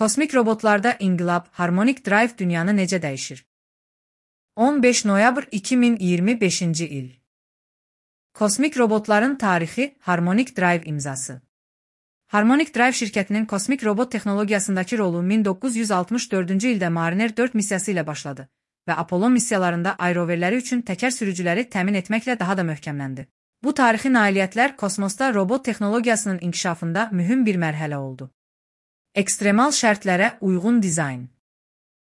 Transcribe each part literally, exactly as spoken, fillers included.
Kosmik robotlarda inqilab, Harmonic Drive dünyanı necə dəyişir? on beş noyabr iki min iyirmi beşinci il. Kosmik robotların tarixi, Harmonic Drive imzası. Harmonic Drive şirkətinin kosmik robot texnologiyasındakı rolu min doqquz yüz altmış dördüncü ildə Mariner dörd missiyası ilə başladı və Apollo missiyalarında aeroverləri üçün təkər sürücüləri təmin etməklə daha da möhkəmləndi. Bu tarixi nailiyyətlər kosmosda robot texnologiyasının inkişafında mühüm bir mərhələ oldu. Ekstremal şərtlərə uyğun dizayn.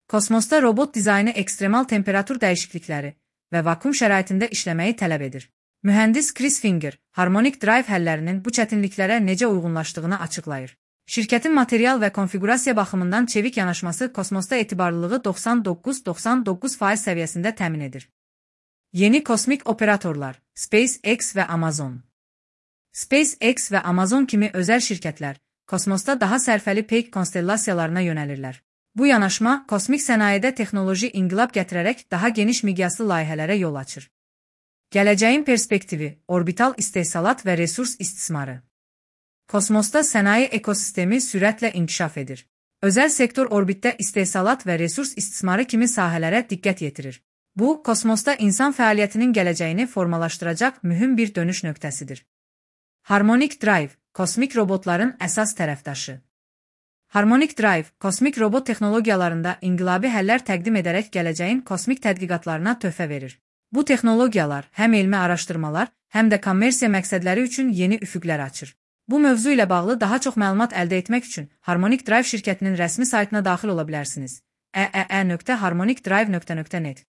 Kosmosda robot dizaynı ekstremal temperatur dəyişiklikləri və vakum şəraitində işləməyi tələb edir. Mühəndis Chris Finger, Harmonic Drive həllərinin bu çətinliklərə necə uyğunlaşdığını açıqlayır. Şirkətin material və konfigurasiya baxımından çevik yanaşması kosmosda etibarlılığı doxsan doqquz doxsan doqquz faiz səviyyəsində təmin edir. Yeni kosmik operatorlar, SpaceX və Amazon. SpaceX və Amazon kimi özəl şirkətlər, kosmosda daha sərfəli peyk konstellasiyalarına yönəlirlər. Bu yanaşma, kosmik sənayedə texnoloji inqilab gətirərək daha geniş miqyaslı layihələrə yol açır. Gələcəyin perspektivi, orbital istehsalat və resurs istismarı. Kosmosda sənaye ekosistemi sürətlə inkişaf edir. Özəl sektor orbitdə istehsalat və resurs istismarı kimi sahələrə diqqət yetirir. Bu, kosmosda insan fəaliyyətinin gələcəyini formalaşdıracaq mühüm bir dönüş nöqtəsidir. Harmonic Drive, kosmik robotların əsas tərəfdaşı. Harmonic Drive, kosmik robot texnologiyalarında inqilabi həllər təqdim edərək gələcəyin kosmik tədqiqatlarına töhfə verir. Bu texnologiyalar həm elmi araşdırmalar, həm də kommersiya məqsədləri üçün yeni üfüqlər açır. Bu mövzu ilə bağlı daha çox məlumat əldə etmək üçün Harmonic Drive şirkətinin rəsmi saytına daxil ola bilərsiniz. e e e nöqtə harmonic drive nöqtə net